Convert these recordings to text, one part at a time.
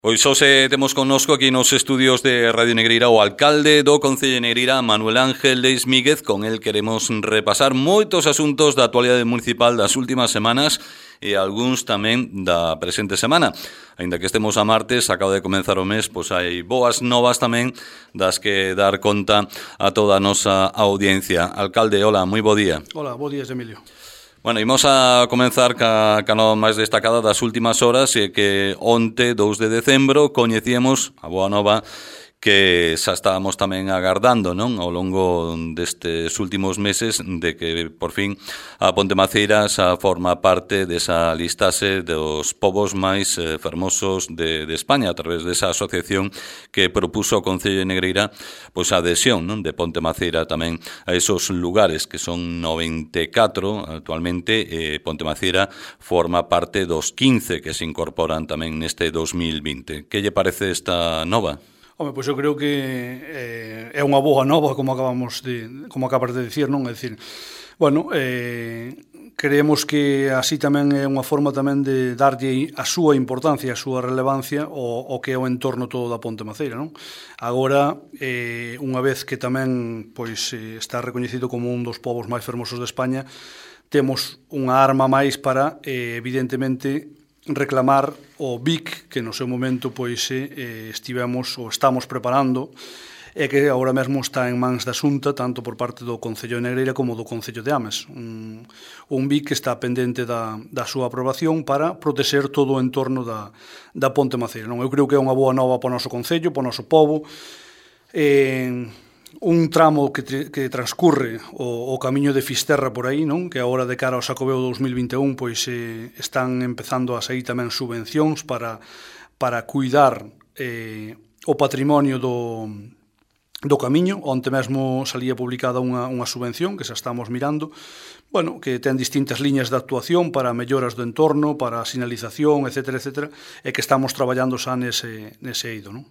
Pois hoxe temos connosco aquí nos estudios de Radio Negreira o alcalde do Concello de Negreira, Manuel Ángel Leis Míguez. Con el queremos repasar moitos asuntos da actualidade municipal das últimas semanas e algúns tamén da presente semana. Ainda que estemos a martes, acaba de comenzar o mes, pois hai boas novas tamén das que dar conta a toda a nosa audiencia. Alcalde, hola, moi bo día. Hola, bo días, Emilio. Bueno, imos a comenzar ca nova máis destacada das últimas horas, e que onte, 2 de decembro, coñecíamos a boa nova que xa estábamos tamén agardando, non? Ao longo destes últimos meses, de que por fin a Ponte Maceira xa forma parte desa listaxe dos povos máis fermosos de España, a través desa asociación que propuso o Concello de Negreira pois a adhesión, non, de Ponte Maceira tamén a esos lugares, que son 94 actualmente. Ponte Maceira forma parte dos 15 que se incorporan tamén neste 2020. Que lle parece esta nova? Home, pois eu creo que é unha boa nova, como acabas de dicir, non? É dicir, bueno, creemos que así tamén é unha forma tamén de darlle a súa importancia, a súa relevancia ao que é o entorno todo da Ponte Maceira, non? Agora, unha vez que tamén pois está recoñecido como un dos povos máis fermosos de España, temos unha arma máis para, evidentemente, reclamar o BIC que no seu momento pois estivemos ou estamos preparando, e que agora mesmo está en mans da Xunta, tanto por parte do Concello de Negreira como do Concello de Ames. Un BIC que está pendente da súa aprobación para protexer todo o entorno da Ponte Maceira. Non, eu creo que é unha boa nova para o noso Concello, para o noso pobo. Un tramo que transcurre o camiño de Fisterra por aí, non? Que agora de cara ao Xacobeo 2021 pois están empezando a sair tamén subvencións para cuidar o patrimonio do camiño. Onte mesmo salía publicada unha subvención que xa estamos mirando, bueno, que ten distintas liñas de actuación para melloras do entorno, para a sinalización, etcétera, etcétera, e que estamos traballando xa nese eido, non?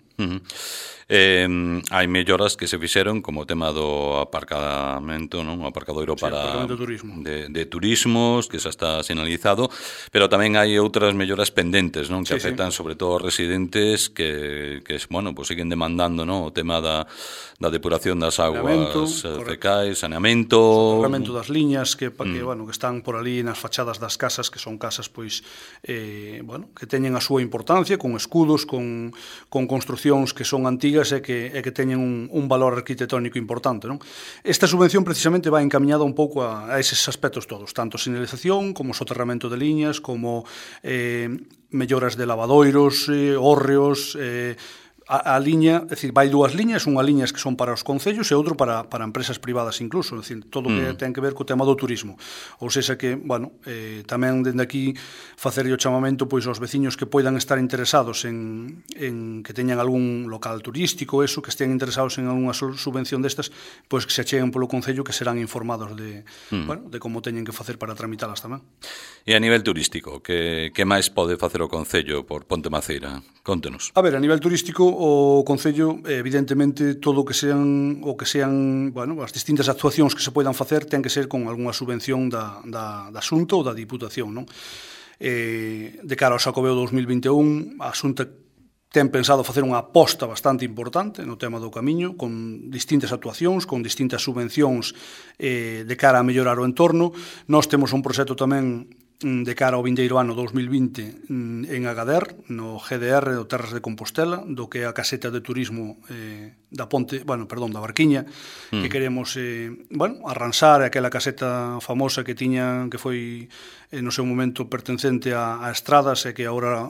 Hai melloras que se fixeron, como o tema do aparcamento, non? O aparcadoiro para de turismos, que xa está sinalizado, pero tamén hai outras melloras pendentes, non? Que afectan sobre todo aos residentes que bueno, pues siguen demandando, non? O tema da depuración das aguas fecais, saneamento, o soterramento das liñas que están por ali nas fachadas das casas, que son casas pois bueno, que teñen a súa importancia, con escudos, con construcións que son antigas e que teñen un valor arquitectónico importante, non? Esta subvención precisamente vai encaminhada un pouco a eses aspectos todos, tanto sinalización como soterramento de liñas, como melloras de lavadoiros, hórreos, a liña, é dicir, vai dúas liñas, unha liña que son para os concellos e outro para empresas privadas incluso, é dicir, todo o que ten que ver co tema do turismo. Ou seja que, bueno, tamén dende aquí facerlle o chamamento pois aos veciños que poidan estar interesados en que teñan algún local turístico, eso, que estean interesados en algunha subvención destas, pois que se acheguen polo concello, que serán informados de como teñen que facer para tramitalas tamén. E a nivel turístico, que máis pode facer o concello por Ponte Maceira? Contenos. A ver, a nivel turístico, o Concello, evidentemente, todo o que sean, bueno, as distintas actuacións que se poidan facer ten que ser con algunha subvención da Xunta ou da Diputación, non? De cara ao Xacobeo 2021, a Xunta ten pensado facer unha aposta bastante importante no tema do camiño, con distintas actuacións, con distintas subvencións de cara a mellorar o entorno. Nós temos un proxecto tamén de cara ao vindeiro ano 2020 en Agader, no GDR do Terras de Compostela, do que é a caseta de turismo da Barquiña, que queremos arranxar aquela caseta famosa que tiña, que foi no seu momento pertencente a estradas, e que agora,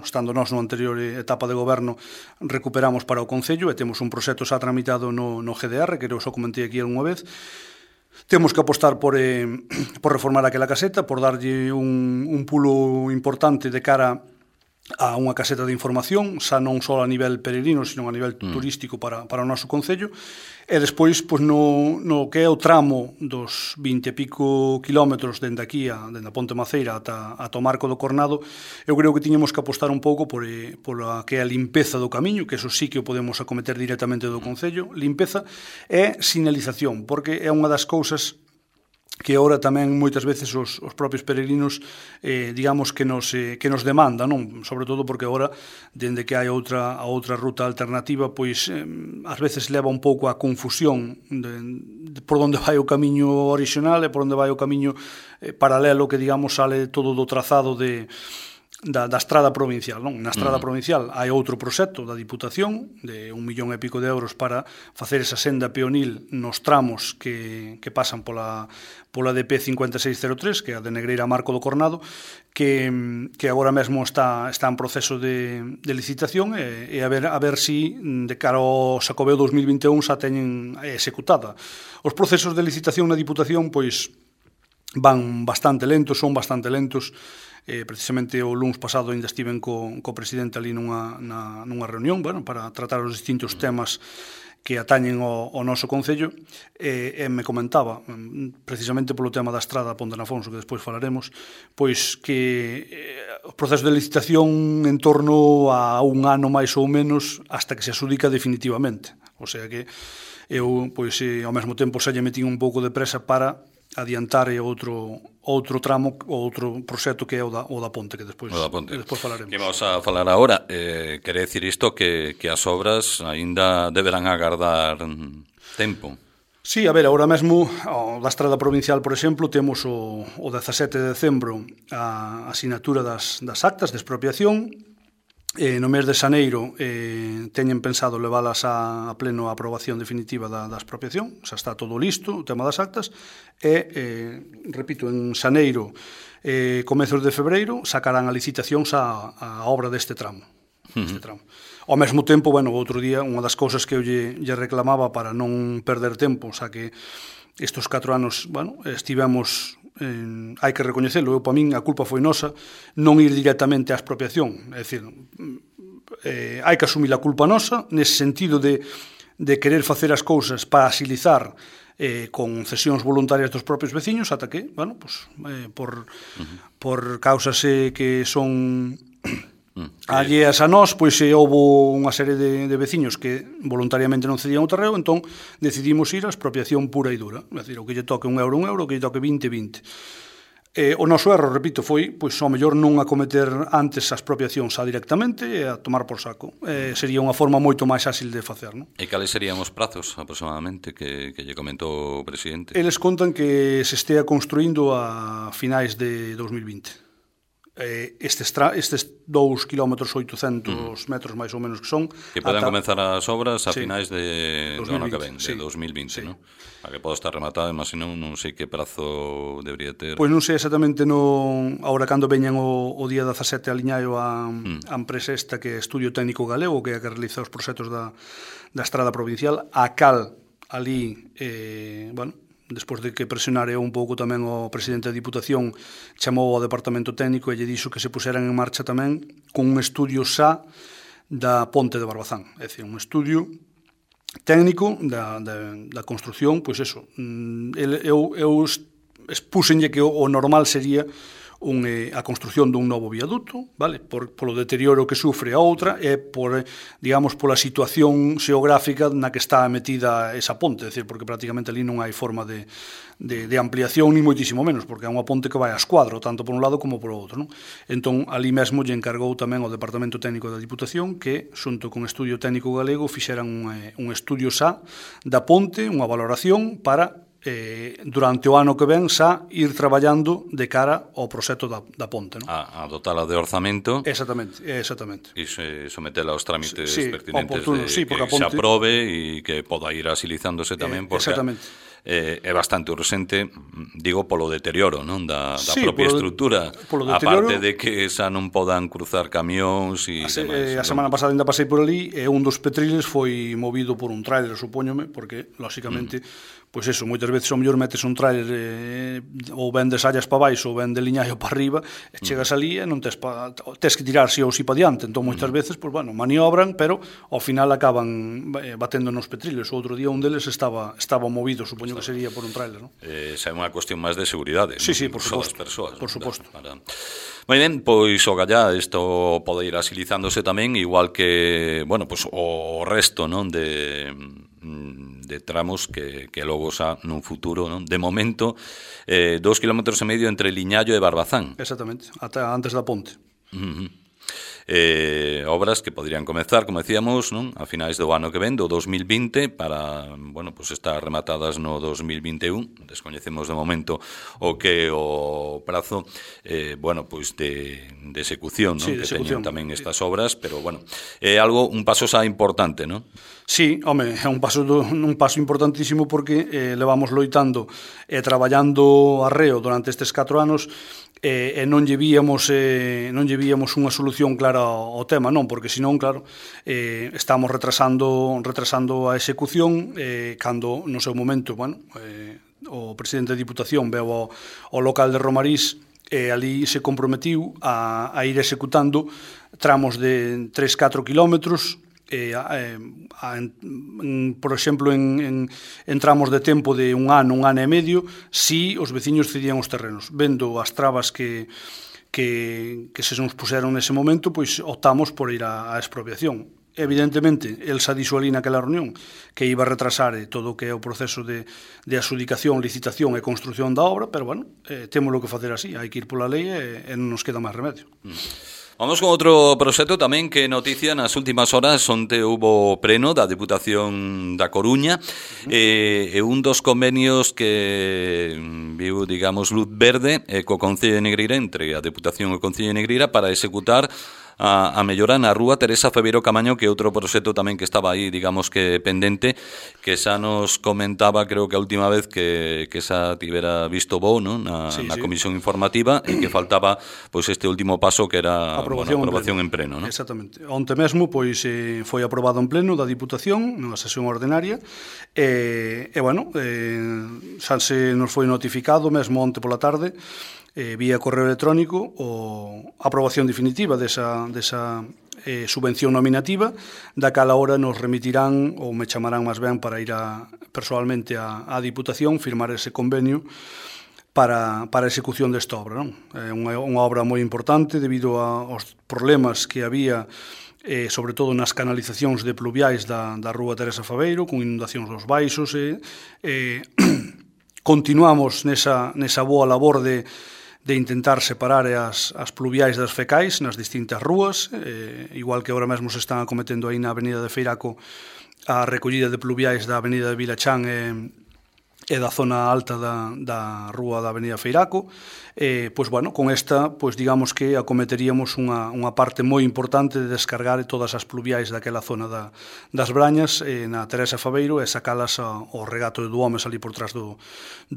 estando nós no anterior etapa de goberno, recuperamos para o Concello, e temos un proxecto xa tramitado no GDR, que eu só comentei aquí algunha vez. Temos que apostar por reformar aquela caseta, por darlle un pulo importante de cara a unha caseta de información, xa non só a nivel peregrino, sino a nivel turístico para o noso concello. E despois, pois, no que é o tramo dos 20 e pico kilómetros dende aquí, dende a Ponte Maceira ata o Marco do Cornado, eu creo que tiñemos que apostar un pouco por a que é a limpeza do camiño, que eso sí que o podemos acometer directamente do concello, limpeza e sinalización, porque é unha das cousas que agora tamén moitas veces os propios peregrinos digamos que nos demanda, non? Sobre todo porque agora, dende que hai outra ruta alternativa, pois ás veces leva un pouco a confusión de por onde vai o camiño orixinal e por onde vai o camiño paralelo, que digamos sale todo do trazado da estrada provincial, non? Na estrada provincial hai outro proxecto da Diputación de 1,5 millón de euros para facer esa senda peonil nos tramos que pasan pola DP 5603, que é a de Negreira a Marco do Cornado, que agora mesmo está en proceso de licitación e a ver si de cara ao Xacobeo 2021 xa teñen executada. Os procesos de licitación na Diputación pois van bastante lentos, son bastante lentos. Precisamente o luns pasado ainda estiven co presidente ali nunha reunión, bueno, para tratar os distintos temas que atañen ao noso Concello, e me comentaba, precisamente polo tema da estrada a Ponte de Afonso, que despois falaremos, pois que o proceso de licitación en torno a un ano máis ou menos hasta que se adxudica definitivamente. O sea que eu, pois, ao mesmo tempo xa lle metín un pouco de presa para adiantar outro tramo, outro proxecto que é o da ponte, que despois falaremos. Que vamos a falar agora. Quere dicir isto que as obras aínda deberán agardar tempo. Sí, a ver, agora mesmo da estrada provincial, por exemplo, temos o 17 de decembro a asinatura das actas de expropiación. No mes de xaneiro teñen pensado leválas a pleno a aprobación definitiva da expropiación, xa está todo listo, o tema das actas, e, repito, en xaneiro, comezos de febreiro, sacarán a licitación a obra deste tramo. Ao mesmo tempo, bueno, outro día, unha das cousas que eu lle reclamaba para non perder tempo, xa que estes 4 anos, bueno, estivemos... hai que recoñecelo, eu para min a culpa foi nosa non ir directamente á expropiación, é dicir, hai que asumir a culpa nosa nese sentido de querer facer as cousas para axilizar con cesións voluntarias dos propios veciños, ata que, bueno, pues, por causas que son alleas a nós, pois houbo unha serie de veciños que voluntariamente non cedían o terreo, entón decidimos ir á expropiación pura e dura, é dicir, o que lle toque un euro, o que lle toque 20. O noso erro, repito, foi pois ao mellor non acometer antes a expropiación xa directamente e a tomar por saco. Sería unha forma moito máis áxil de facer, non? E cales serían os prazos aproximadamente que lle comentou o presidente? Eles contan que se estea construindo a finais de 2020. Estes 2 km 800 metros máis ou menos que son, que poden comenzar as obras a finais do ano que ven, de 2020, non? A que podo estar rematada, mas senón non sei que prazo debería ter. Pois non sei exactamente agora cando veñan o día 17 aliñaio a empresa esta que é Estudio Técnico Galego, que é a que realiza os proxectos da estrada provincial, a cal ali, bueno, despois de que presionare un pouco tamén o presidente da Diputación, chamou ao Departamento Técnico e lle dixo que se puseran en marcha tamén con un estudio xa da ponte de Barbazán. É dicir, un estudio técnico da construción, pois eso. Eu expúxenlle que o normal sería a construción dun novo viaduto, vale? Polo deterioro que sufre a outra e digamos, pola situación xeográfica na que está metida esa ponte, é dicir, porque prácticamente ali non hai forma de ampliación ni moitísimo menos, porque é unha ponte que vai a escuadro, tanto por un lado como por outro, non? Entón, ali mesmo lle encargou tamén ao Departamento Técnico da Diputación que, xunto con Estudio Técnico Galego, fixeran un estudio xa da ponte, unha valoración para durante o ano que ven xa ir traballando de cara ao proxecto da ponte, non? A dotala de orzamento. Exactamente. E sometela aos trámites pertinentes oportuno, que se aprobe e que poda ir asilizándose tamén, porque é bastante urxente, digo, polo deterioro, non, da propia estrutura, aparte de que xa non podan cruzar camións e demais. A semana pasada ainda pasei por ali e un dos petriles foi movido por un tráiler, supóñome, porque, lóxicamente, pois eso, moitas veces ao mellor metes un tráiler ou ben de sallas para baixo ou ben de liñaio para arriba e chegas ali e non tes que tirar si ou si para diante, entón moitas veces, pois bueno, maniobran, pero ao final acaban batendo nos petriles. O outro día un deles estaba movido, supoño que sería por un tráiler, non? Xa é unha cuestión máis de seguridade, sí, por suposto, por suposto. Moi ben, pois o gallá isto pode ir asilizándose tamén, igual que, bueno, pois o resto, non, de tramos que logo xa nun futuro, non? De momento, 2,5 kilómetros entre Liñallo e Barbazán. Exactamente, ata antes da ponte. Obras que podrían comezar, como decíamos, non? A finais do ano que ven, do 2020, para, bueno, pues estar rematadas no 2021. Descoñecemos de momento o que o prazo, bueno, pues de execución, non? Sí, de que execución. teñen tamén estas obras, pero bueno, é algo, un paso xa importante, non? Sí, home, é un paso importantísimo porque levamos loitando e traballando arreo durante estes 4 anos e non lle víamos unha solución clara ao tema, non, porque senón, claro, estamos retrasando a execución cando no seu momento, bueno, o presidente da Diputación veu ao local de Romarís e ali se comprometiu a ir executando tramos de 3-4 kilómetros, por exemplo, en tramos de tempo de un ano e medio, si os veciños cedían os terrenos. Vendo as trabas que se nos puseron nese momento, pois optamos por ir á expropiación. Evidentemente, el xa dixo ali naquela reunión que iba a retrasar todo o que é o proceso de adxudicación, licitación e construción da obra, pero, bueno, temos lo que facer así, hai que ir pola lei e non nos queda máis remedio. Vamos con outro proxecto tamén que noticia nas últimas horas onde hubo pleno da Deputación da Coruña e un dos convenios que viu, digamos, luz verde co Concello de Negreira, entre a Deputación e o Concello de Negreira, para executar a mellora na rúa Teresa Febeiro Camaño, que é outro proxecto tamén que estaba aí, digamos que pendente, que xa nos comentaba, creo que a última vez que xa tivera visto bo, ¿no? na comisión informativa, e que faltaba pois este último paso que era aprobación en pleno, ¿no? Exactamente. Onte mesmo pois foi aprobado en pleno da Diputación nunha sesión ordinaria e bueno, xa se nos foi notificado mesmo onte pola tarde vía correo electrónico a aprobación definitiva desa subvención nominativa, da cala hora nos remitirán ou me chamarán máis ben para ir personalmente á Diputación, firmar ese convenio para a execución desta obra, non? É unha obra moi importante debido aos problemas que había sobre todo nas canalizacións de pluviais da rúa Teresa Faveiro, con inundacións dos baixos continuamos nesa boa labor de intentar separar as pluviais das fecais nas distintas rúas, igual que agora mesmo se están acometendo aí na Avenida de Feiraco a recollida de pluviais da Avenida de Vilachán e da zona alta da rúa da Avenida Feiraco. Pois, bueno, con esta, pois digamos que acometeríamos unha parte moi importante de descargar todas as pluviais daquela zona das Brañas na Teresa Faveiro e sacalas ao regato de Duomes ali por trás do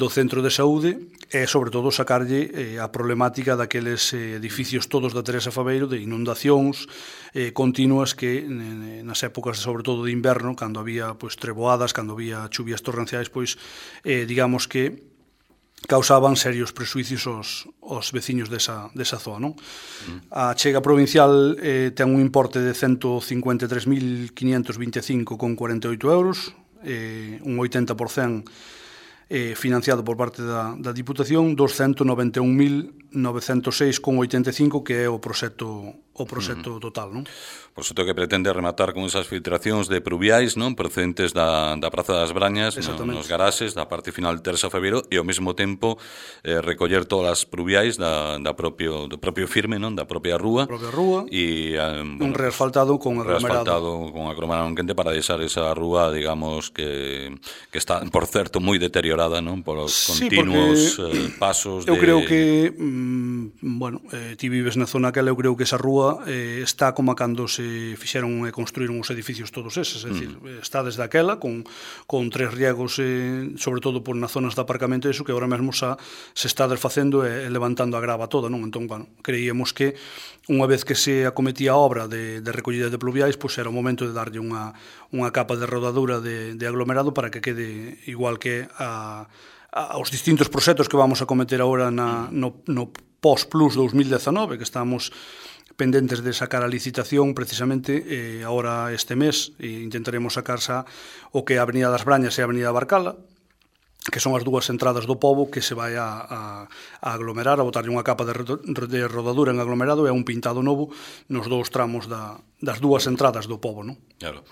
centro de saúde e, sobre todo, sacarlle a problemática daqueles edificios todos da Teresa Faveiro de inundacións continuas que nas épocas, sobre todo de inverno, cando había pois treboadas, cando había chuvias torrenciais, pois digamos que causaban serios prexuicios aos veciños desa zona, non? A chega provincial ten un importe de 153.525,48 euros, un 80% financiado por parte da Diputación, 291.906,85, que é o proxecto total, non? Proxecto que pretende rematar con esas filtracións de pluviais, non, procedentes da Praza das Brañas, nos garaxes da parte final de Teresa Febeiro, e ao mesmo tempo recoller todas as pluviais do propio firme, non, da propia rúa, e un reasfaltado con aglomerado quente para deixar esa rúa, digamos, que está, por certo, moi deteriorada, non, polos continuos pasos de... Eu creo que, bueno, ti vives na zona aquela, eu creo que esa rúa está como cando se fixeron e construíron os edificios todos eses, é dicir, está desde aquela con 3 riegos, sobre todo por nas zonas de aparcamento, eso que agora mesmo se está desfacendo e levantando a grava toda, non? Entón, bueno, creíamos que unha vez que se acometía a obra de recollida de pluviais, pois era o momento de darlle unha capa de rodadura de aglomerado para que quede igual que aos distintos proxectos que vamos a cometer agora no Post-Plus 2019, que estamos pendentes de sacar a licitación precisamente agora este mes, e intentaremos sacar xa o que é a Avenida das Brañas e a Avenida Barcala, que son as dúas entradas do pobo que se vai a aglomerar, a botarlle unha capa de rodadura en aglomerado e un pintado novo nos dous tramos das dúas entradas do pobo, non? Claro.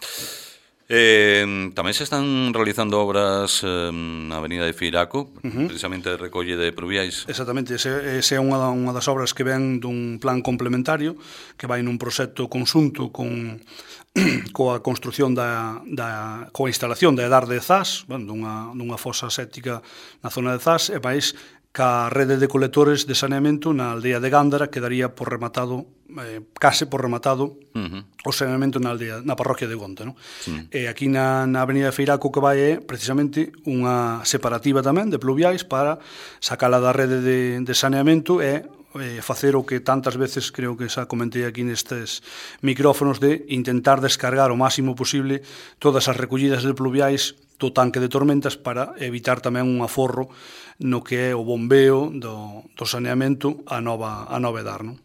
Tamén se están realizando obras na Avenida de Feiraco, precisamente de recolle de pluviais. Exactamente, ese é unha das obras que ven dun plan complementario que vai nun proxecto conxunto coa construción coa instalación da Edar de Zas, dunha fosa séptica na zona de Zas, e máis ca rede de colectores de saneamento na aldea de Gándara quedaría por rematado, case por rematado o saneamento na parroquia de Gonta, non? E aquí na Avenida de Feiraco que vai é precisamente unha separativa tamén de pluviais para sacala da rede de saneamento e facer o que tantas veces creo que xa comentei aquí nestes micrófonos de intentar descargar o máximo posible todas as recollidas de pluviais do tanque de tormentas para evitar tamén un aforro no que é o bombeo do saneamento a nova Edar, non?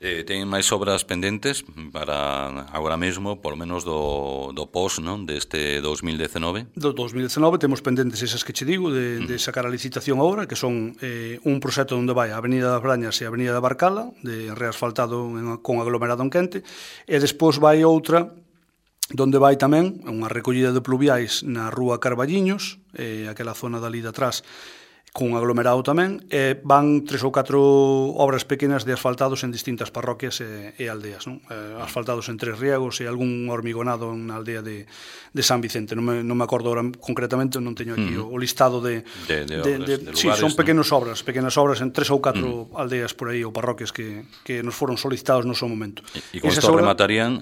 Ten máis obras pendentes para agora mesmo, por lo menos do pos, non, deste 2019? Do 2019 temos pendentes esas que che digo de sacar a licitación agora, que son un proxecto onde vai a Avenida das Brañas e a Avenida da Barcala, de reasfaltado con aglomerado en quente, e despois vai outra donde vai tamén unha recollida de pluviais na rúa Carballiños, aquela zona dali de atrás, con aglomerado tamén, e van 3 ou 4 obras pequenas de asfaltados en distintas parroquias e aldeas, non? Asfaltados en Tres Riegos e algún hormigonado na aldea de San Vicente. Non me acordo ahora concretamente, non teño aquí o listado de lugares, sí, son pequenas obras en 3 ou 4 aldeas por aí ou parroquias que nos foron solicitados no seu momento. E con isto rematarían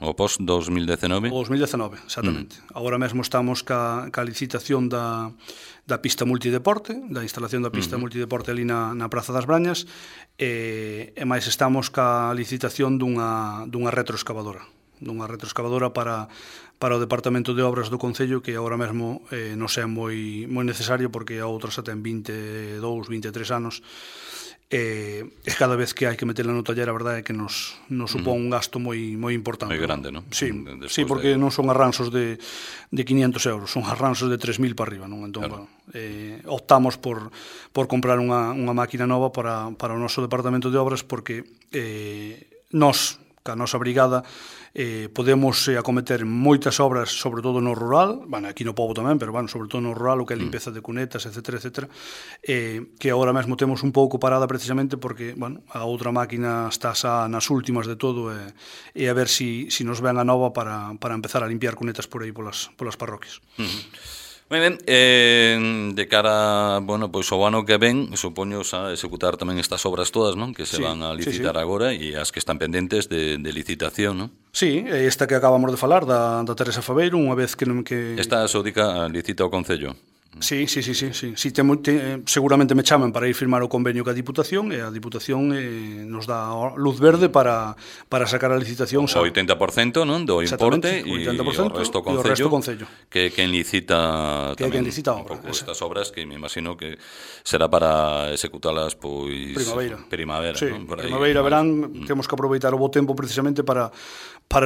o post 2019? O 2019, exactamente. Agora mesmo estamos ca licitación da pista multideporte, da instalación da pista multideporte ali na Praza das Brañas, e máis estamos ca licitación dunha retroexcavadora para o Departamento de Obras do Concello, que agora mesmo non é moi necesario porque a outra xa ten 22, 23 anos, e cada vez que hai que meterla no taller a verdade é que nos supón un gasto moi importante. Moi grande, non? Sí, porque non son arranxos de 500 euros, son arranxos de 3.000 para arriba, non? Entón, claro, optamos por comprar unha máquina nova para o noso Departamento de Obras porque nós, ca nosa brigada, podemos acometer moitas obras, sobre todo no rural, aquí no pobo tamén, pero sobre todo no rural, o que é limpeza de cunetas, etc., que agora mesmo temos un pouco parada precisamente porque a outra máquina está xa nas últimas de todo e a ver si nos ven a nova para empezar a limpiar cunetas por aí polas parroquias. Moi ben, de cara, pois ao ano que ven, supoño a executar tamén estas obras todas, non? Que se van a licitar agora e as que están pendentes de licitación, non? Sí, esta que acabamos de falar da Teresa Fabeiro, unha vez que... Esta xodica licita o Concello? Sí, seguramente me chaman para ir firmar o convenio ca Diputación e a Diputación nos dá luz verde para sacar a licitación. O 80%, non, do importe e o resto Concello, que quen licita tamén un pouco estas obras, que me imagino que será para executalas pois primavera, sí, non? Primavera, verán, temos que aproveitar o bo tempo precisamente para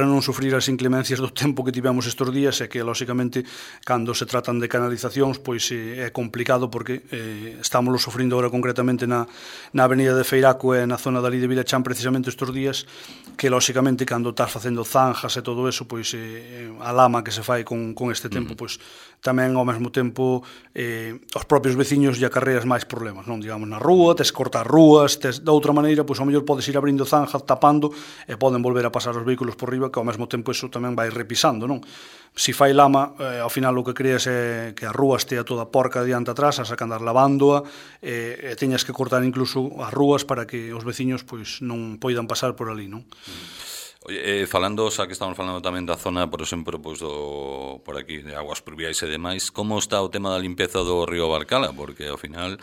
non sufrir as inclemencias do tempo que tivemos estes días e que, lóxicamente, cando se tratan de canalizacións, pois é complicado porque estamos sufrindo agora concretamente na Avenida de Feiraco e na zona dali de Vilachán precisamente estes días, que, lóxicamente, cando estás facendo zanjas e todo eso, pois a lama que se fai con este tempo, pois tamén ao mesmo tempo os propios veciños lle acarreas máis problemas, non? Digamos, na rúa, tes cortar rúas, tes de outra maneira, pois ao mellor podes ir abrindo zanjas, tapando, e poden volver a pasar os vehículos por riba, que ao mesmo tempo iso tamén vai repisando, non? Si fai lama, ao final o que creas é que a rúa estea toda porca diante atrás, a sacan andar lavándoa, e teñas que cortar incluso as rúas para que os veciños pois non poidan pasar por ali, non? Oye, falando, xa que estamos falando tamén da zona, por exemplo, pois por aquí, de aguas pluviais e demais, como está o tema da limpeza do río Barcala? Porque ao final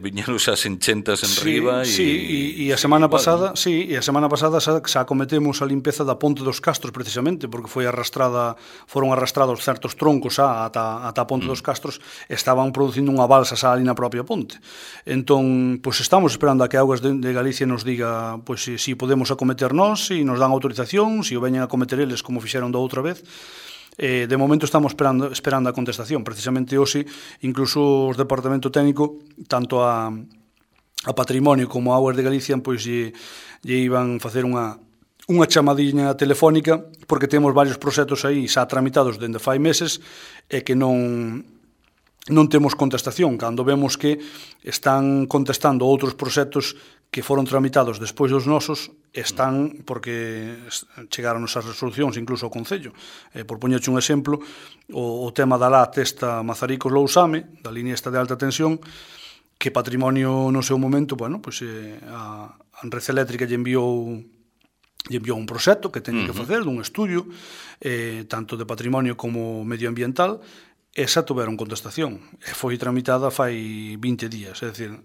viñeron as enchentas en riba e a semana pasada xa cometemos a limpeza da Ponte dos Castros precisamente porque foron arrastrados certos troncos ata a Ponte dos Castros, estaban producindo unha balsa xa ali na propia ponte. Entón, pois estamos esperando a que Augas de Galicia nos diga pois si podemos acometer nós, si nos dan autorización, si o veñen a cometer eles como fixeron da outra vez. De momento estamos esperando a contestación. Precisamente hoxe, incluso os Departamento Técnico, tanto a Patrimonio como a Augas de Galicia, pois lle iban facer unha unha chamadiña telefónica, porque temos varios proxectos aí xa tramitados dende fai meses e que non temos contestación, cando vemos que están contestando outros proxectos que foron tramitados despois dos nosos, están porque chegaron as resolucións incluso ao Concello. Por poñerche un exemplo, o tema da LAT esta Mazaricos-Lousame, da línea esta de alta tensión, que Patrimonio no seu momento, bueno, pues, a Red Eléctrica lle enviou un proxecto que teñen que facer dun estudio, tanto de patrimonio como medioambiental, e xa tuveron contestación. E foi tramitada fai 20 días. É dicir,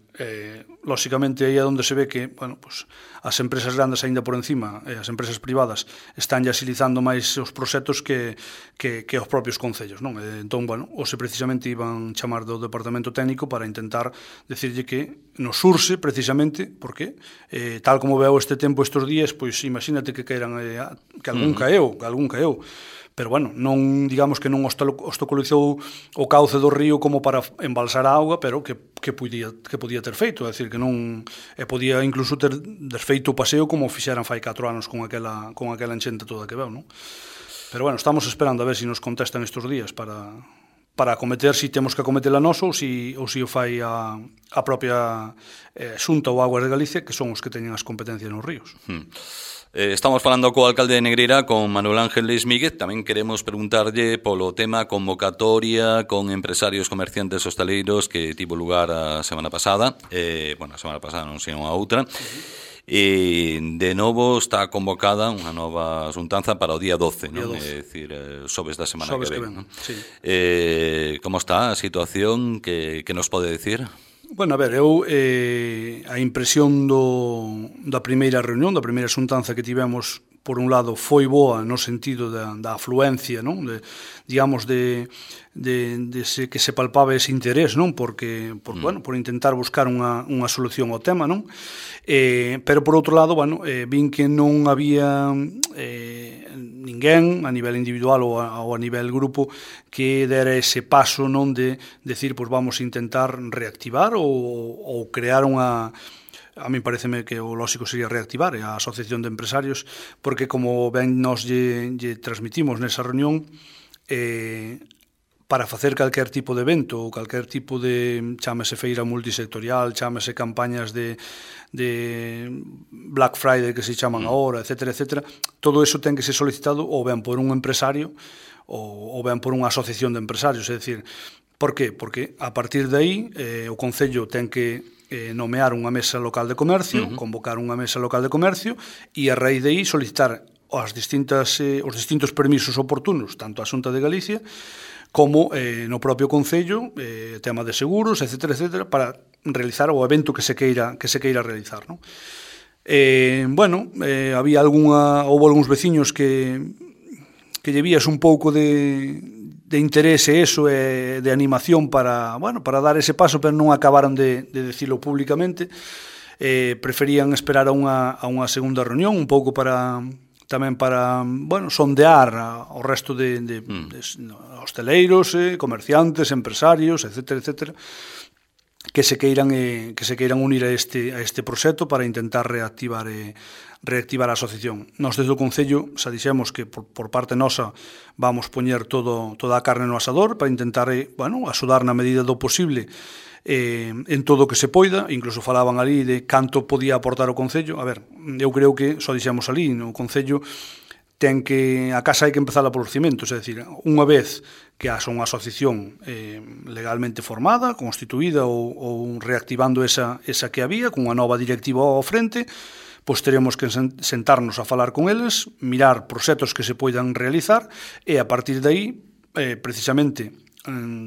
lóxicamente, aí é onde se ve que, bueno, pues, as empresas grandes aínda por encima, e as empresas privadas, están agilizando máis os proxectos que os propios concellos, non? Entón, bueno, hoxe precisamente iban chamar do departamento técnico para intentar decirlle que nos surse precisamente, porque tal como veo este tempo estes días, pois imagínate que queiran que algún caeu, pero bueno, non digamos que non obstaculizou o cauce do río como para embalsar a auga, pero que podía ter feito, é dicir, que non podía incluso ter desfeito o paseo como fixeran fai 4 anos con aquela enchente toda que veu, non? Pero bueno, estamos esperando a ver se nos contestan estes días para acometer, se temos que acometela nós ou se o fai a propia Xunta ou Aguas de Galicia, que son os que teñen as competencias nos ríos. Estamos falando co alcalde de Negreira, con Manuel Ángel Leis Míguez. Tamén queremos preguntarlle polo tema convocatoria con empresarios comerciantes hostaleiros que tivo lugar a semana pasada. A semana pasada non sei unha outra. De novo está convocada unha nova xuntanza para o día 12, non? É dicir, xoves da semana que ven. Non? Sí. Como está a situación? Que nos pode dicir? Bueno, a ver, eu a impresión da primeira reunión, da primeira xuntanza que tivemos, por un lado, foi boa no sentido da afluencia, non? Digamos, de que se palpaba ese interés, non? Porque bueno, por intentar buscar unha solución ao tema, non? Pero, por outro lado, bueno, vin que non había ninguén, a nivel individual ou a nivel grupo, que dera ese paso, non, de decir, pois vamos a intentar reactivar ou crear unha... A mí pareceme que o lóxico sería reactivar a Asociación de Empresarios, porque como ben nos lle transmitimos nesa reunión, para facer calquer tipo de evento ou calquer tipo de, chámese feira multisectorial, chámese campañas de Black Friday que se chaman agora, etcétera, etcétera, todo eso ten que ser solicitado ou ben por un empresario ou ben por unha asociación de empresarios. É dicir, por qué? Porque a partir de aí o Concello ten que nomear unha mesa local de comercio, convocar unha mesa local de comercio e a raíz de aí solicitar os distintos permisos oportunos, tanto a Xunta de Galicia como no propio Concello, tema de seguros, etcétera, etcétera, para realizar o evento que se queira realizar, non? Había houve algúns veciños que lle vías un pouco de interese eso, de animación para dar ese paso, pero non acabaron de decirlo públicamente. Preferían esperar a unha segunda reunión, un pouco tamén para sondear ao resto de hosteleiros, comerciantes, empresarios, etcétera, etcétera, que se queiran unir a este proxecto para intentar reactivar a asociación. Nós desde o Concello xa dixemos que por parte nosa vamos poñer toda a carne no asador para intentar axudar na medida do posible en todo o que se poida. Incluso falaban ali de canto podía aportar o Concello. A ver, eu creo que, só dixemos ali, no Concello a casa hai que empezar por os cimentos, é dicir, unha vez que haxa unha asociación legalmente formada, constituída ou reactivando esa que había, con unha nova directiva ao frente, pois teremos que sentarnos a falar con eles, mirar proxectos que se poidan realizar e a partir de aí, precisamente,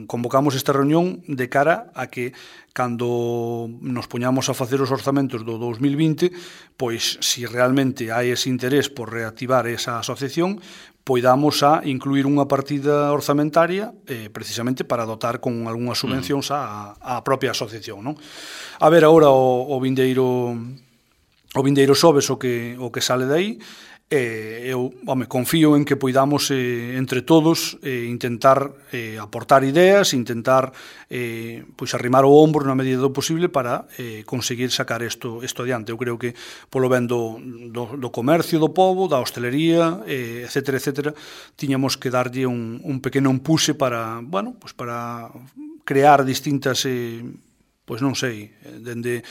convocamos esta reunión de cara a que cando nos poñamos a facer os orzamentos do 2020, pois se realmente hai ese interés por reactivar esa asociación, poidamos a incluir unha partida orzamentaria precisamente para dotar con algunhas subvencións á propia asociación, non? A ver agora o vindeiro xoves o que sale de aí. eu, confío en que poidamos entre todos intentar aportar ideas, intentar pois arrimar o ombro na medida do posible para conseguir sacar isto adiante. Eu creo que polo ben do comercio do pobo, da hostelería, etcétera, etcétera, tiñamos que darlle un pequeno empuxe para, pois para crear distintas pois non sei, dende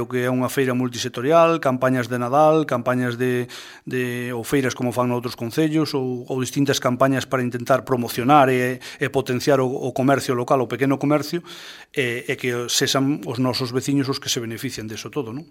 o que é unha feira multisectorial, campañas de Nadal, campañas ou feiras como fan noutros concellos, ou distintas campañas para intentar promocionar e potenciar o comercio local, o pequeno comercio, e que sexan os nosos veciños os que se beneficien deso todo, non?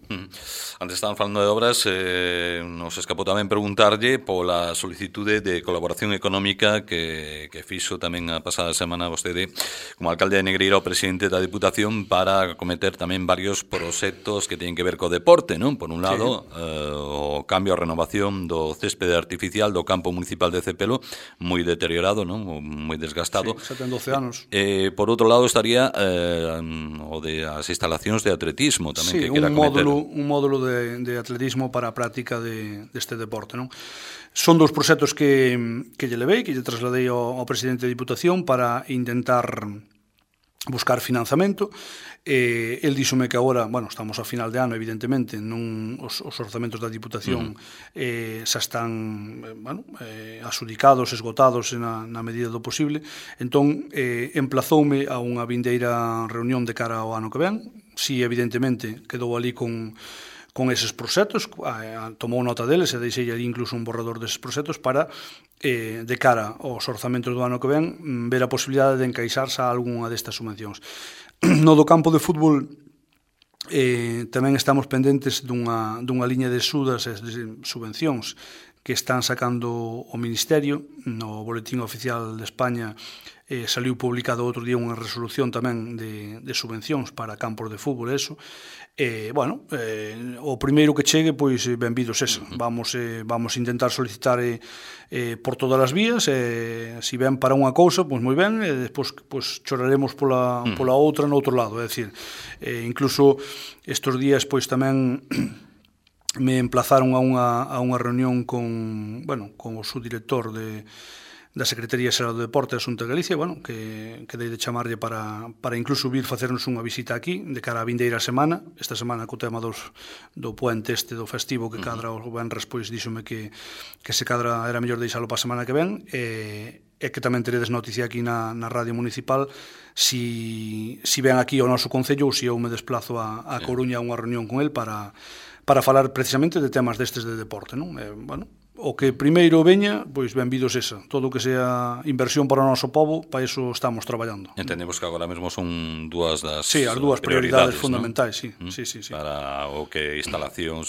Antes estaban falando de obras, nos escapou tamén preguntarlle pola solicitude de colaboración económica que fixo tamén a pasada semana vostede como alcalde de Negreira o presidente da Diputación para acometer tamén varios proxectos que teñen que ver co deporte, non? Por un lado, o cambio a renovación do céspede artificial do campo municipal de Cepelo, moi deteriorado, non? Moi desgastado. Sí, xa ten 12 anos. Por outro lado estaría o de as instalacións de atletismo tamén, sí, que quera acometer. Un módulo de atletismo para a práctica deste deporte, non? Son dos proxectos que lle levei, que lle trasladei ao presidente da Diputación para intentar buscar financiamento. El díxome que agora, estamos a final de ano, evidentemente, os orzamentos da Diputación xa están asudicados, esgotados na medida do posible. Entón, emplazoume a unha vindeira reunión de cara ao ano que ven. Si, evidentemente, quedou ali con eses proxectos, tomou nota deles e deixei ali incluso un borrador deses proxectos para, de cara aos orzamentos do ano que ven, ver a posibilidade de encaixarse a algunha destas subvencións. No do campo de fútbol tamén estamos pendentes dunha liña de axudas e de subvencións que están sacando o Ministerio. No Boletín Oficial de España saliu publicado outro día unha resolución tamén de subvencións para campos de fútbol, eso. O primeiro que chegue, pois benvido sexa. Vamos intentar solicitar por todas as vías, se ven para unha cousa, pois moi ben, e despois pois choraremos pola outra no outro lado. É dicir, incluso estes días pois tamén me emplazaron a unha reunión con o subdirector da Secretaría Xeral do Deporte da Xunta de Galicia, que dei de chamarlle para incluso vir facernos unha visita aquí de cara a vindeira semana. Esta semana co tema do puente do festivo que cadra o venres, pois díxome que se cadra era mellor deixalo para a semana que ven, e que tamén teredes noticia aquí na Radio Municipal si ven aquí ao noso concello ou si eu me desplazo a Coruña a unha reunión con el para falar precisamente de temas destes de deporte, non? O que primeiro veña, pois benvido sexa. Todo o que sea inversión para o noso pobo, para iso estamos traballando. Entendemos que agora mesmo son dúas das as dúas prioridades fundamentais, sí. Para o que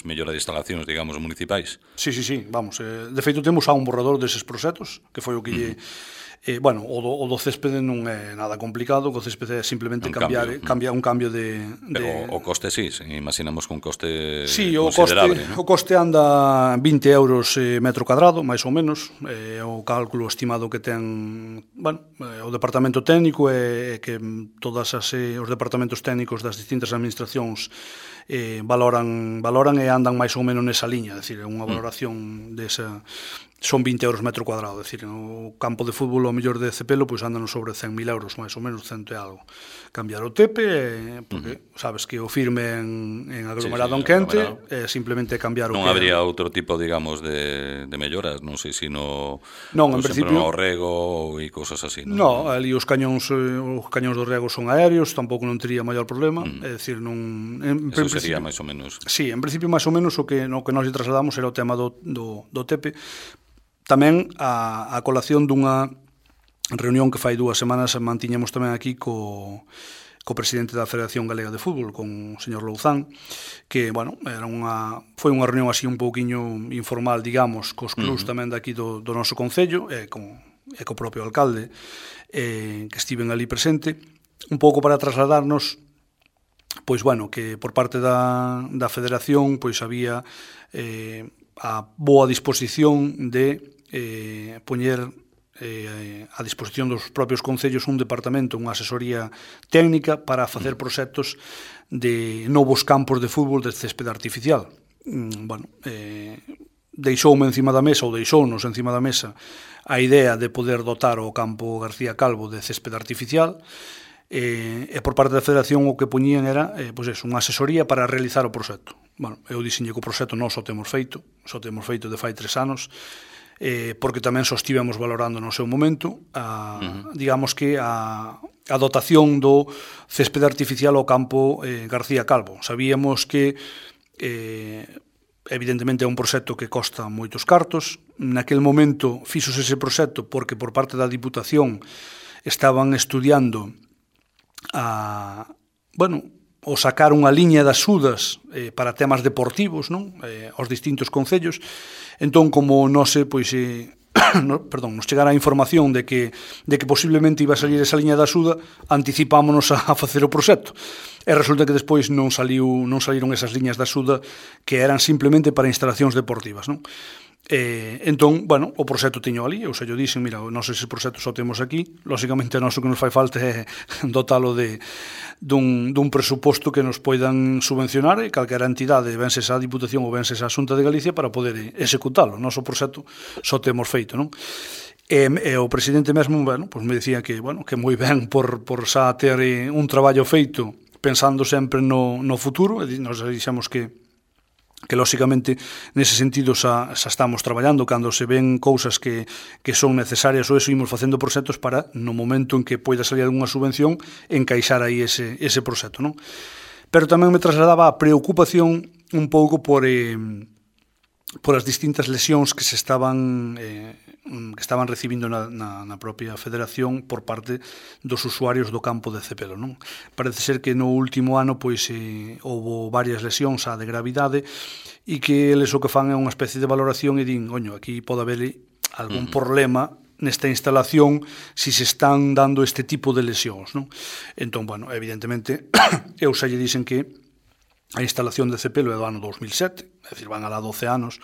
mellora de instalacións, digamos, municipais. Sí, vamos. De feito, temos un borrador deses proxectos, que foi o que lle... o do céspede non é nada complicado, o céspede é simplemente un cambio de... Pero o coste sí, imaginamos que un coste considerable. O coste anda 20 euros metro cuadrado, máis ou menos, o cálculo estimado que ten o departamento técnico é que todos os departamentos técnicos das distintas administracións valoran e andan máis ou menos nesa liña, é dicir, unha valoración desa... Son 20 euros metro cuadrado, é dicir, o campo de fútbol ao mellor de Cepelo pois andan sobre 100.000 euros, máis ou menos, 100 e algo. Cambiar o tepe, porque sabes que o firme en aglomerado en quente, simplemente cambiar o non habría outro tipo, digamos, de melloras, non sei se no en principio no rego e cousas así, non? No, ali os cañóns do rego son aéreos, tampouco non tería maior problema, é dicir, non... Eso sería máis ou menos... Sí, en principio máis ou menos o que nós lle trasladamos era o tema do tepe. Tamén a colación dunha reunión que fai 2 semanas mantiñamos tamén aquí co presidente da Federación Galega de Fútbol, con o señor Louzán, que, foi unha reunión así un pouquiño informal, digamos, cos clubs tamén daqui do noso concello, e co propio alcalde, que estiven ali presente, un pouco para trasladarnos que por parte da Federación había a boa disposición de poñer a disposición dos propios concellos un departamento, unha asesoría técnica para facer proxectos de novos campos de fútbol de céspede artificial. deixoume encima da mesa, ou deixounos encima da mesa, a idea de poder dotar o campo García Calvo de céspede artificial, e por parte da Federación o que poñían era unha asesoría para realizar o proxecto. Bueno, eu dixenlle que o proxecto non só temos feito de fai 3 anos, porque tamén só estivemos valorando no seu momento digamos que a dotación do céspede artificial ao campo García Calvo. Sabíamos que evidentemente é un proxecto que costa moitos cartos. Naquel momento fixose ese proxecto porque por parte da Diputación estaban estudiando o sacar unha liña de axudas para temas deportivos, non? Aos distintos concellos. Entón, como nos chegara a información de que posiblemente iba a salir esa liña de axuda, anticipámonos a facer o proxecto. E resulta que despois non saíron esas liñas de axuda que eran simplemente para instalacións deportivas, non? Entón, bueno, o proxecto tiño ali, ou se yo dixen, mira, nós ese proxecto só temos aquí, lóxicamente nós o que nos fai falta é dotalo dun presuposto que nos poidan subvencionar e calquera entidade, vense esa Diputación ou vense esa Xunta de Galicia para poder executalo. Nós o proxecto só temos feito, non? E o presidente mesmo, bueno, pues me decía que, bueno, que moi ben por xa ter un traballo feito pensando sempre no futuro, e nos dixemos que lóxicamente nese sentido xa estamos traballando cando se ven cousas que son necesarias ou eso, imos facendo proxectos para no momento en que poida salir algunha subvención encaixar aí ese proxecto, non? Pero tamén me trasladaba a preocupación un pouco por as distintas lesións que se estaban recibindo na propia Federación por parte dos usuarios do campo de Cepelo, non? Parece ser que no último ano houbo varias lesións de gravidade e que eles o que fan é unha especie de valoración e din, oño, aquí pode haber algún problema nesta instalación si se están dando este tipo de lesións, non? Entón, bueno, evidentemente eu xa lle dixen que a instalación de Cepelo é do ano 2007, é dicir, van alá 12 anos,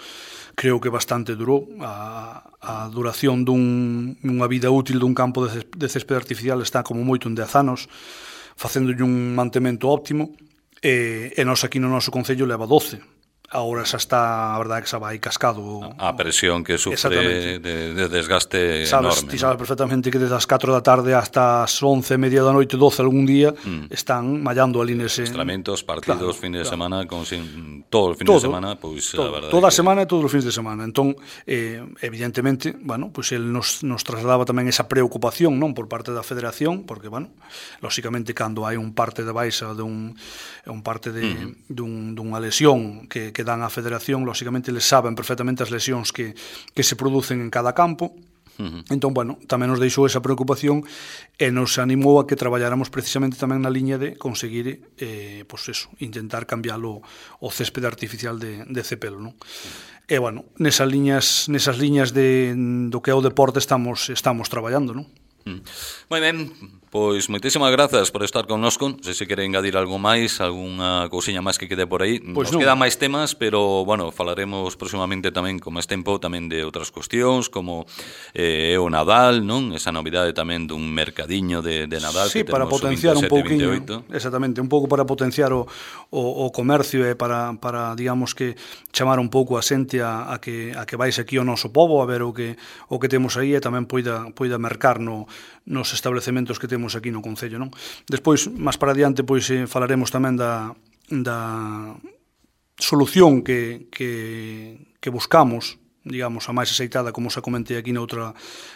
creo que bastante durou. A duración dunha vida útil dun campo de céspede artificial está como moito en 10 anos, facéndolle un mantemento óptimo, e nós aquí no noso concello leva 12. Agora xa está, a verdade que xa vai cascado. A presión que sufre de desgaste enorme. Ti sabes perfectamente que desde as 4 da tarde hasta as 11, media da noite, 12 algún día, están mallando ali nese... Estramentos, partidos, fin de semana, todo o fin de semana, pois a verdade... Toda a semana e todos os fins de semana. Entón, evidentemente, bueno, pois el nos trasladaba tamén esa preocupación, non, por parte da Federación, porque, bueno, lóxicamente, cando hai un parte de baixa dunha lesión que dan á Federación, lóxicamente, eles saben perfectamente as lesións que se producen en cada campo. Entón, bueno, tamén nos deixou esa preocupación e nos animou a que traballáramos precisamente tamén na liña de conseguir intentar cambialo o céspede artificial de Cepelo, non? E, bueno, nesas liñas do que é o deporte estamos traballando, non? Moi ben, pois moitísimas grazas por estar connosco. Non sei se quere engadir algo máis, algunha cousiña máis que quede por aí. Nos quedan máis temas, pero, bueno, falaremos próximamente tamén, con máis tempo, tamén de outras cuestións, como o Nadal, non? Esa novidade tamén dun mercadiño de Nadal. Sí, para potenciar un pouquiño, exactamente, un pouco para potenciar o comercio e para, digamos que, chamar un pouco a xente a que vais aquí ao noso pobo a ver o que temos aí e tamén poida mercar nos establecementos que temos aquí no Concello, non? Despois, máis para adiante, pois falaremos tamén da solución que buscamos, digamos, a máis aceitada, como xa comentei aquí noutra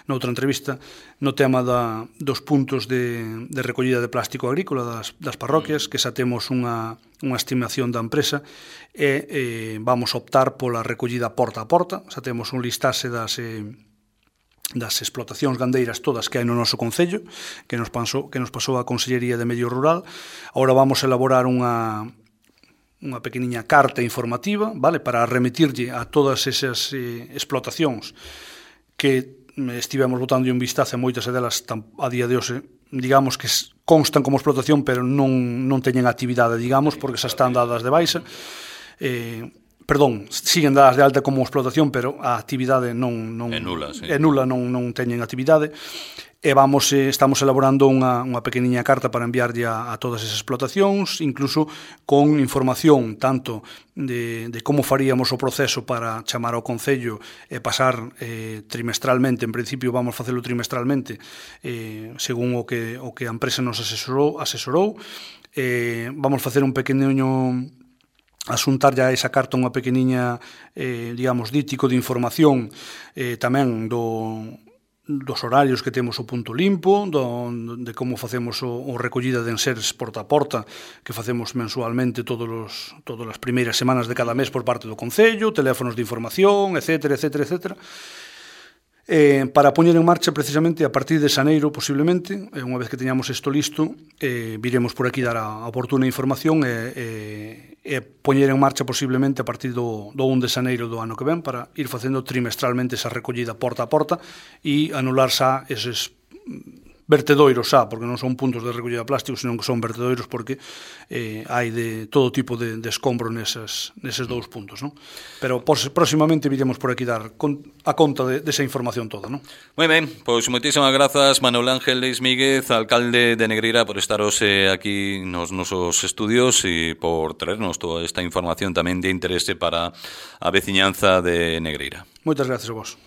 entrevista, no tema dos puntos de recollida de plástico agrícola das parroquias, que xa temos unha estimación da empresa e vamos optar pola recollida porta a porta. Xa temos un listaxe das explotacións gandeiras todas que hai no noso Concello, que nos pasou a Consellería de Medio Rural. Agora vamos a elaborar unha pequeniña carta informativa, vale, para remitirlle a todas esas explotacións que estivemos botando un vistazo, moitas delas a día de hoxe, digamos que constan como explotación, pero non teñen actividade, digamos, porque xa están dadas de baixa. perdón, siguen dadas de alta como explotación, pero a actividade non é nula, sí. É nula, non teñen actividade. E estamos elaborando unha pequeniña carta para enviarlle a todas esas explotacións, incluso con información tanto de como faríamos o proceso para chamar ao Concello e pasar trimestralmente, en principio vamos facelo trimestralmente, según o que a empresa nos asesorou. Vamos facer un pequeno asuntar ya esa carta unha pequeniña, digamos, dítico de información tamén dos horarios que temos o punto limpo, de como facemos o recollida de enseres porta a porta, que facemos mensualmente todas as primeiras semanas de cada mes por parte do Concello, teléfonos de información, etcétera, etcétera, etcétera. Para poñer en marcha precisamente a partir de xaneiro posiblemente, unha vez que teñamos isto listo, viremos por aquí dar a oportuna información e poñer en marcha posiblemente a partir do 1 de xaneiro do ano que ven para ir facendo trimestralmente esa recollida porta a porta e anular xa eses vertedoiros porque non son puntos de recollida de plástico, senón que son vertedoiros porque hai de todo tipo de escombro neses dous puntos, non? Pero próximamente viremos por aquí dar a conta desa información toda, non? Moi ben, pois moitísimas grazas Manuel Ángel Leis Míguez, alcalde de Negreira, por estaros aquí nos nosos estudios e por traernos toda esta información tamén de interese para a veciñanza de Negreira. Moitas gracias a vos.